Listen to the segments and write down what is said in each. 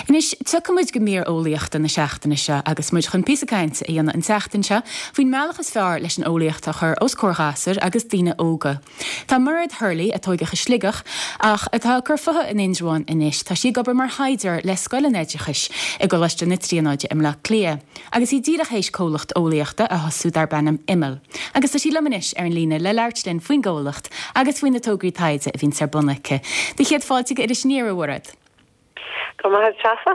Anois, tiocfaidh muid go mír eolaíochta na seachtaine seo agus muid chun píosa cainte a dhéanamh an tseachtain seo faoin mbealach is fearr leis an eolaíocht a chur os comhair ghasúir agus daoine óga. Tá Mairéad Hurley, a tóigeadh i Sligeach ach atá ag cur futha in Indreabhán anois, tá sí ag obair mar thaighdeoir le Scoil an Oideachais i gColáiste na Tríonóide i mBleá Cliath agus í díreach théis comhlacht eolaíochta a thosú darb ainm Imeall. Agus tá sí liom anois ar an líne le labhairt linn faoin gcomhlacht agus faoi na tograí taighde a bhíonns ar bun aici. Do chéad fáilte go Iris Aniar, a Mhairéad. Go raibh maith agat, Treasa.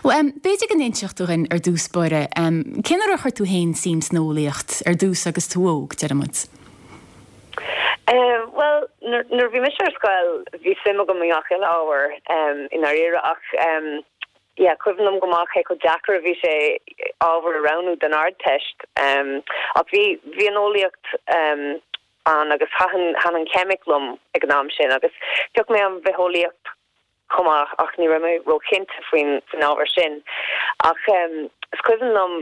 Bhuel, b'fhéidir go n-inseodh tú dhuinn ar dtús báire, cén uair a chuir tú féin suim san eolaíocht ar dtús agus tú óg, deir muid? Bhuel, nuair a bhí mise ar scoil, bhí suim agam i ngach uile ábhar, i ndáiríre, ach yeah, cuimhin liom go maith cé chomh deacair a bhí sé ábhar a roghnú don Ardteist. Ach bhí, bhí an eolaíocht ann agus thaitin, thaitin an cheimic liom ag an am sin agus phioc mé an bhitheolaíocht chomh maith ach ní raibh mé róchinnte faoin ábhar sin. Ach is cuimhin liom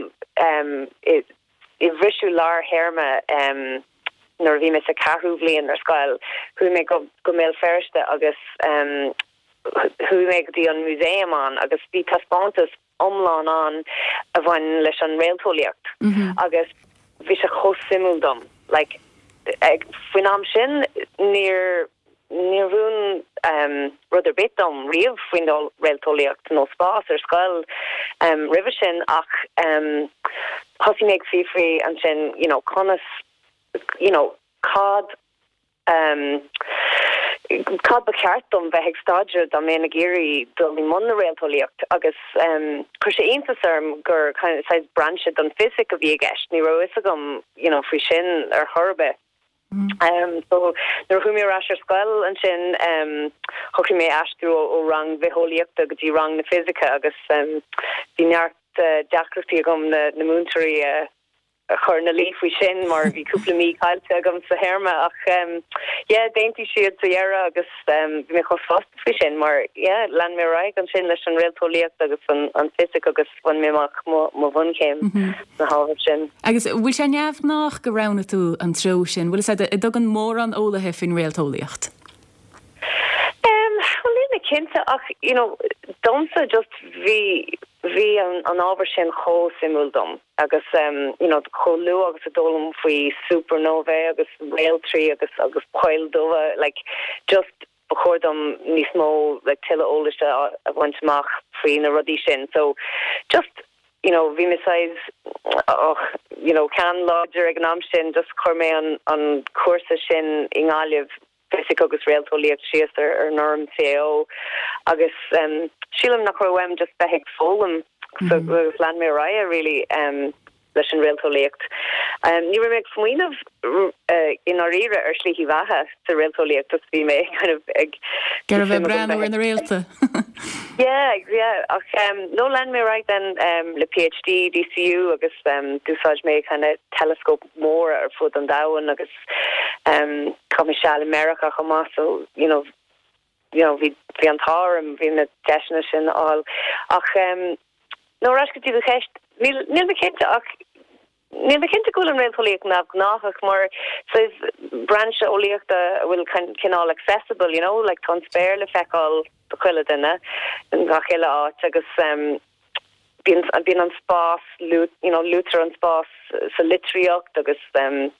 i bhriseadh lár théarma nuair a bhí mé sa cheathrú bhliain ar scoil, chuaigh mé go Béal Feirste agus chuaigh mé go dtí an músaem ann agus bhí taispeántas iomlán ann a bhain leis an réalteolaíocht agus bhí sé chomh suimiúil dom. Like, faoin am sin níor níor mhúin rud ar bith dom riamh faoin réalteolaíocht nó spás ar scoil roimhe sin ach thosaigh mé ag fiafraí ansin you know conas you know cad Cad ba cheart dom bheith ag staidéar dá mbeinn ag iarraidh dul i mbun na réalteolaíocht? Agus chuir sé iontas orm gur kind of saghas brainse don fisic a bhí i gceist. Ní raibh a fhios agam you know faoi sin ar chor ar bith. So nuair a chuaigh mé ar ais ar scoil ansin shocraigh mé aistriú ó rang bhitheolaíochta go dtí rang na fisice agus bhí neart deacrachtaí agam na múinteoirí a a chur ina luí faoi sin mar bhí cúpla mí caillte agam sa théarma ach yeah d'aontaigh siad sa dheireadh agus bhí mé chomh sásta faoi sin mar yeah lean mé ar aghaidh ansin leis an réalteolaíocht agus an an fisic agus bhain mé amach mo mo bhunchéim sna hábhair sin. Agus bhfuil sé neamhghnách go roghnaigh tú an treo sin? Bhfuil fhios agat, an dtugann mórán eolaithe faoin réalteolaíocht? Bhuel níl mé cinnte ach you know domsa just bhí bhí an an ábhar sin chomh suimiúil dom agus you know chomh luath agus a d'fhoghlaim faoi supernovae agus réaltraí agus agus poill dubha like just ba chóir dom níos mó like tuilleadh eolais a a bhaint amach faoi na rudaí sin so just you know bhí mé saghas och you know ceann láidir ag an am sin just chuir mé an an cúrsa sin i nGaillimh Fisic agus Réalteolaíocht síos ar an fhoirm CAO agus sílim nach raibh uaim just bheith ag foghlaim so agus lean mé ar aghaidh really leis an réalteolaíocht. Ní raibh mé ag smaoineamh i ndáiríre ar shlí bheatha sa réalteolaíocht just bhí mé kind of ag Ag iarraidh bheith ag breathnú ar na réalta. Yeah, yeah ach no lean mé ar aghaidh then le PhD DCU agus d'úsáid mé kind of teileascóip mhóra ar fud an domhain agus Chaith mé seal i Meiriceá chomh maith so you know you know bhí bhí an t-ádh orm bhí na deiseanna sin a fháil. Ach no ar ais go dtí do cheist, níl níl mé cinnte ach níl mé cinnte go bhfuil an réalteolaíocht neamhghnáthach mar saghas brainse eolaíochta a bhfuil cineál accessible you know like tá an spéir le feiceáil do chuile duine in gach uile áit agus Bíonn an spás, you know, luaitear an spás sa litríocht agus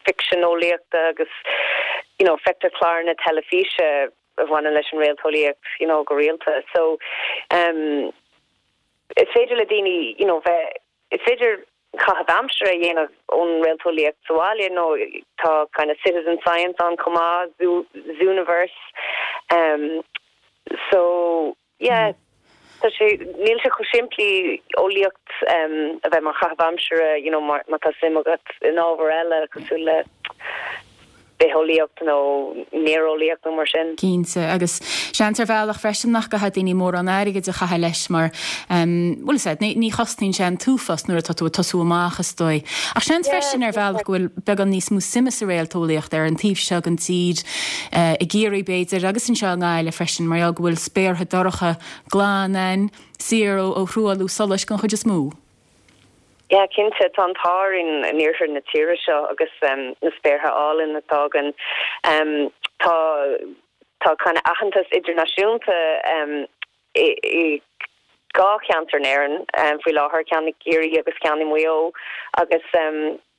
ficsean eolaíochta agus, you know, feictear cláranna teilifíse a bhaineann leis an réalteolaíocht, you know, go rialta. So, is féidir le daoine, you know, bheith, is féidir caitheamh aimsire a dhéanamh ón réalteolaíocht sa bhaile nó tá kind of citizen science ann chomh maith, Zooniverse. So, Yeah, tá sé, níl sé chomh simplí eolaíocht a bheith mar chaitheamh aimsire, you know, má tá suim agat in ábhar eile cosúil le bitheolaíocht nó néareolaíocht nó mar sin. Cinnte, agus seans ar bhealach freisin nach gcaithfidh daoine mórán airgid a chaitheamh leis mar, bhuel is ea, ní chosnaíonn sé an t-uafás nuair atá tú ag tosú amach is dóigh. Ach seans freisin ar bhealach go bhfuil beagán níos mó suime sa réalteolaíocht ar an taobh seo den tír, i gCiarraí b'fhéidir, agus anseo i nGaillimh freisin, mar gheall go bhfuil spéartha dorcha glan ann, saor ó thruailliú solais den chuid is mó. Yeah, cinnte, tá an t-ádh orainn in iarthar na tíre seo agus na spéartha álainn atá againn. Tá tá kind of aitheantas idirnáisiúnta i. 2 cheantar in Éirinn faoi láthair, ceann i gCiarraí agus ceann i Maigh Eo agus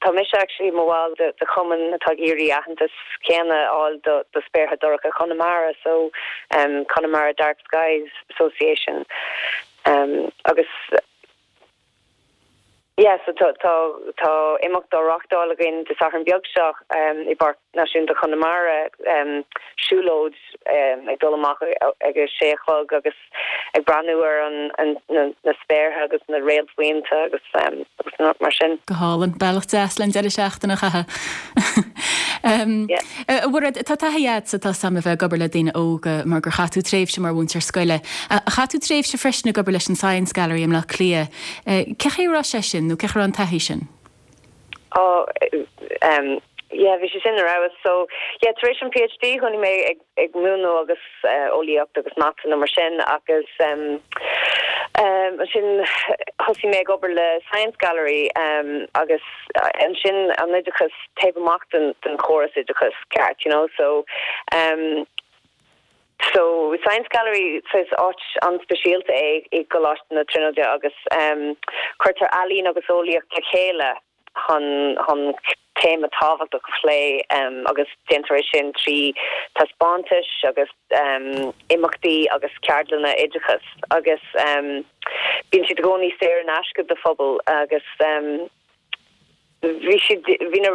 tá mise actually i mo bhall de chumann atá ag iarraidh aitheantas céanna a fháil do spéartha dorcha Chonamara, so Connemara Dark Skies Association agus yeah so tá tá tá imeacht á reachtáil againn Dé Sathairn beag seo i bPáirc Náisiúnta Chonamara, siúlóid ag dul amach ag a sé a chlog agus ag breathnú ar an na spéartha agus na réaltbhuíonta agus agus mar sin. Go hálainn. Bealach deas le an deireadh seachtaine a chaitheamh. A Mhairéad, tá taithí agatsa tá a fhios agam a bheith ag obair le daoine óga mar gur chaith tú tréimhse mar mhúinteoir scoile. Chaith tú tréimhse freisin ag obair leis an Science Gallery i mBleá Cliath. Cé chaoi a raibh sé sin nó cé chaoi a raibh an taithí sin? Oh yeah bhí sé sin ar fheabhas. So yeah tar éis an PhD thosaigh mé ag ag múineadh agus eolaíocht agus mata nó mar sin agus ansin thosaigh mé ag obair le Science Gallery agus ansin an oideachas taobh amach den den chóras oideachas ceart you know so So Science Gallery is áit an-speisialta é i gColáiste na Tríonóide agus cuirtear ealaín agus eolaíocht le chéile chun chun téama tábhachtach a phlé agus déantar é sin trí taispeántais agus imeachtaí agus ceardlanna oideachais agus bíonn siad i gcónaí saor in aisce do phobal agus Bhí siad, bhí na,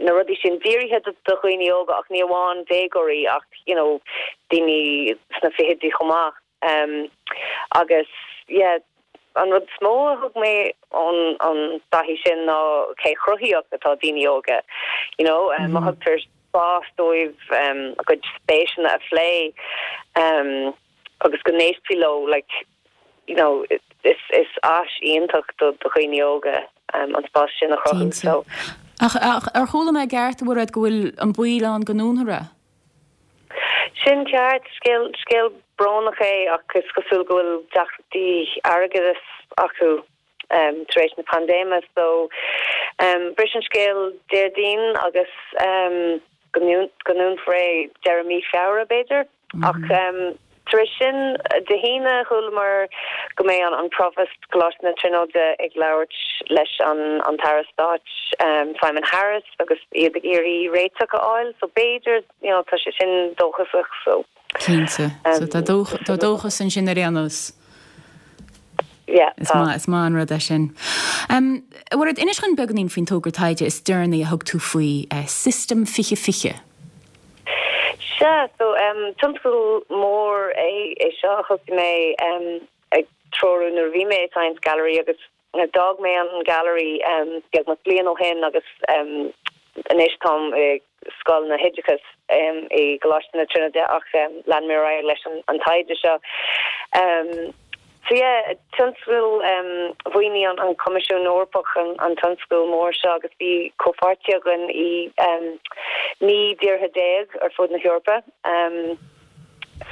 na rudaí sin dírithe do dhaoine óga ach ní amháin déagóirí ach you know daoine sna fichidí chomh maith. Agus yeah an rud is mó a thug mé ón an dtaithí sin ná cé chruthaíoch atá daoine óga you know má thugtar spás dóibh a gcuid spéiseanna a phlé agus go n-éistfí leo like you know is is áis iontach do dhaoine óga an spás sin a chruthú so. Ach ar chuala mé i gceart, a Mhairéad, go bhfuil an baol ann go ndúnfar é? Sin ceart, scéal scéal brónach é ach is cosúil go bhfuil deacrachtaí airgeadais acu tar éis na paindéime so bris an scéal Déardaoin agus go ndúnfar é deireadh mí Feabhra b'fhéidir. Ach tar éis sin, Dé hAoine, chualamar go mbeidh an Propast Coláiste na Tríonóide ag labhairt leis an tAire Stáit Simon Harris agus iad ag iarraidh réiteach a fháil. So b'fhéidir, you know, tá sé sin dóchasach. So. Cinnte. So tá dóchas ansin ar aon nós. Yeah, tá. Is maith, is maith an rud é sin. A Mhairéad, inis dhúinn beagáinín faoin togra taighde is deireanaí a thug tú faoi, System 2020. Sea, so tionscadal mór é é seo a thosaigh mé ag treorú nuair a bhí mé i Science Gallery agus d'fhág mé an Gallery beagnach bliain ó shin agus anois táim i Scoil na hOideachais i gColáiste na Tríonóide ach lean mé ar aghaidh leis an taighde seo. So yeah, tionscadal, mhaoinigh an Coimisiún Eorpach an tionscadal mór seo agus bhí comhpháirtithe againn i 19 dtíortha ar fud na hEorpa.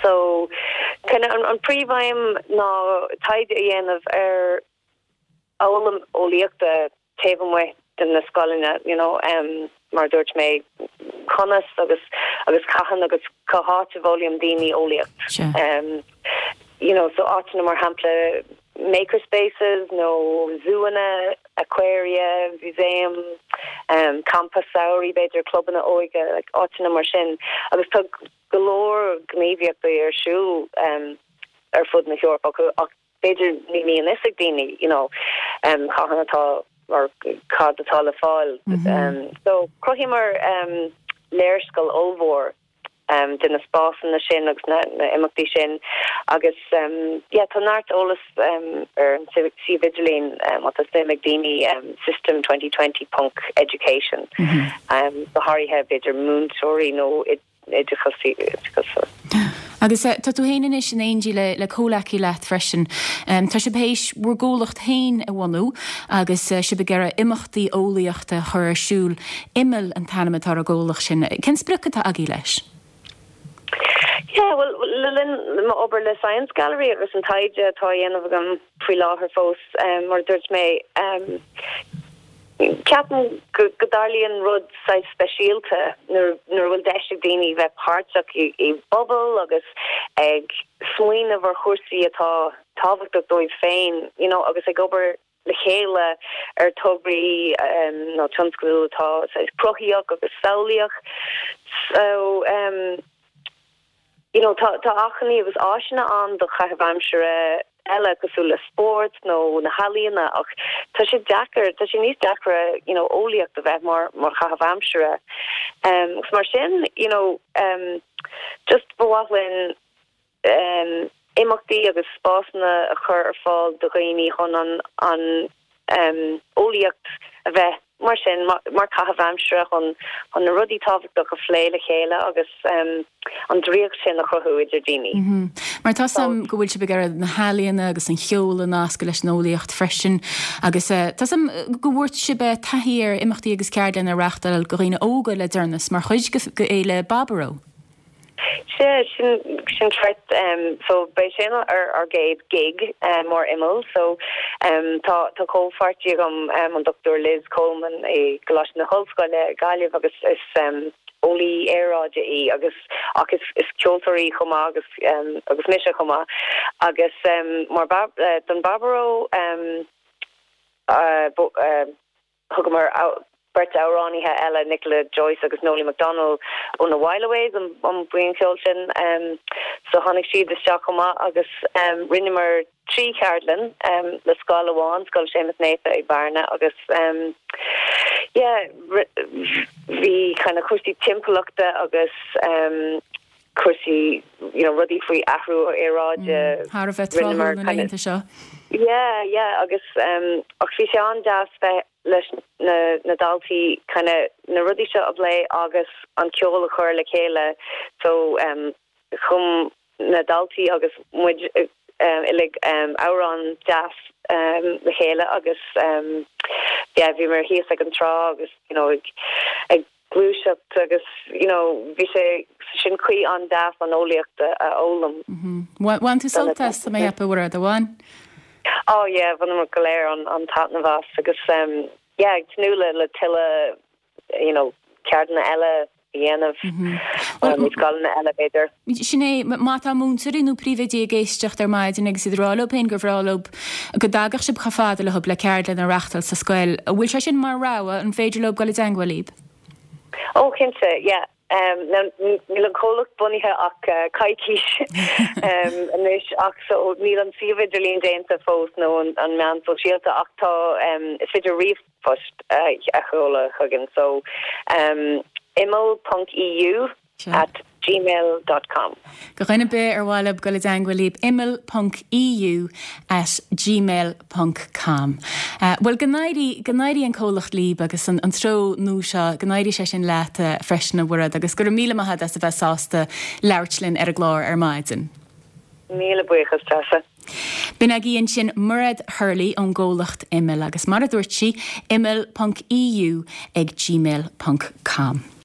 So kind of an príomhaidhm ná taighde a dhéanamh ar fhoghlaim eolaíochta taobh amuigh de na scoileanna, you know, mar a dúirt mé, conas agus agus cathain agus cá háit a bhfoghlaíonn daoine eolaíocht. You know, so áiteanna mar shampla maker spaces nó zúanna, aquaria, museum, campa samhraidh b'fhéidir, clubanna óige, like áiteanna mar sin. Agus tá go leor gníomhaíochtaí ar siúl ar fud na hEorpa ach b'fhéidir ní bhíonn fhios ag daoine you know cathain atá or cad atá le fáil. So chruthaíomar léarscáil ollmhór de na spásanna sin agus na imeachtaí sin agus yeah tá neart eolas ar an suíomh idirlín má tá suim ag daoine system 2020 ponc education go háirithe b'fhéidir múinteoirí nó oideachas. Agus tá tú féin anois in éindí le comhleacaí leat freisin. Tá sibh théis bhur gcomhlacht féin a bhunú agus sibh ag iarraidh imeachtaí eolaíochta a chur ar siúl. Imeall an t-ainm atá ar an gcomhlacht sin. Cén sprioc atá agaibh leis? Yeah, bhuel, le linn m'obair le Science Gallery agus an taighde atá á dhéanamh agam faoi láthair fós, mar a dúirt mé, Ceapaim go dtarlaíonn rud saghas speisialta nuair a bhfuil deis ag daoine bheith páirteach i bpobal agus ag smaoineamh ar chúrsaí atá tábhachtach dóibh féin you know agus ag obair le chéile ar tograí nó tionscadail atá saghas cruthaíoch agus samhlaíoch. So you know tá tá acmhainní agus áiseanna ann do chaitheamh aimsire eile cosúil le spórt nó na healaíona ach tá sé deacair, tá sé níos deacra you know eolaíocht a bheith mar mar chaitheamh aimsire. Agus mar sin you know just ba mhaith linn imeachtaí agus spásanna a chur ar fáil do dhaoine chun an an eolaíocht a bheith mar sin, mar chaitheamh aimsire chun chun na rudaí tábhachtach a phlé le chéile agus an draíocht sin a chruthú idir daoine. Mar tá 's a'm go bhfuil sibh ag iarraidh na healaíona agus an cheol a nascadh leis an eolaíocht freisin agus tá 's a'm go bhfuair sibh taithí ar imeachtaí agus ceardlanna a reáchtáil do dhaoine óga le deireanas mar chuid de Fhéile Baboró. Sea, sin, sin ceart. So, b'é sin ár, ár gcéad gig mar Imeall. So, tá, tá comhpháirtí agam, an Dr Liz Coleman i gColáiste na hOllscoile, Gaillimh agus is eolaí aeráide í agus, ach is, is ceoltóir í chomh maith agus, agus mise chomh maith. Agus mar don Baboró, Thugamar beirt amhránaithe eile, Nicola Joyce agus Noelie McDonnell ó na Whileaways, an buíon cheoil sin. So tháinig siad isteach chomh maith agus rinneamar 3 cheardlann le scoil amháin, Scoil Séamus Naofa i Bearna agus yeah bhí kind of cúrsaí timpeallachta agus cúrsaí you know rudaí faoi athrú aeráide. Thar a bheith tráthúil na laethanta seo. Yeah, yeah agus ach bhí sé an-deas bheith leis na na daltaí kind of na rudaí seo a phlé agus an ceol a chur le chéile so chum na daltaí agus muid uilig amhrán deas le chéile agus yeah bhíomar thíos ag an trá agus you know ag ag gluaiseacht agus you know bhí sé sin caoi an-deas an eolaíocht a fhoghlaim. Bhain tú sult as, tá mé a cheapadh, Mhairéad, ar bhain? Oh yeah, bhaineamar go léir an-taitneamh as agus yeah ag tnúth le le tuilleadh you know ceardlanna eile a dhéanamh i scoileanna eile b'fhéidir. Sin é, má tá múinteoirí nó príomhoidí ag éisteacht ar maidin agus iad ag rá leo féin gur bhreá leo go dtagadh sibh chomh fada leo le ceardlann a reachtáil sa scoil, an bhfuil sé sin mar rogha, an féidir leo dul i dteangmháil libh? Ó cinnte, yeah. Now níl an comhlacht bunaithe ach coicís anois ach so níl an suíomh idirlín déanta fós nó an meán sóisialta ach tá, is féidir ríomhphost a sheoladh chugainn so imeall ponc eu at gmail dot com. Do dhuine ar bith ar mhaith leo dul i dteangmháil libh, imeall ponc eu at gmail ponc com. Bhuel, go n-éirí, go n-éirí an comhlacht libh agus an treo nua seo, go n-éirí sé sin leat freisin a Mhairéad agus go raibh míle maith agat as a bheith sásta labhairt linn ar an gclár ar maidin. Míle buíochas, Treasa. B'in agaibh ansin Mairéad Hurley ón gcomhlacht Imeall agus mar a dúirt sí, imeall ponc eu ag gmail ponc com.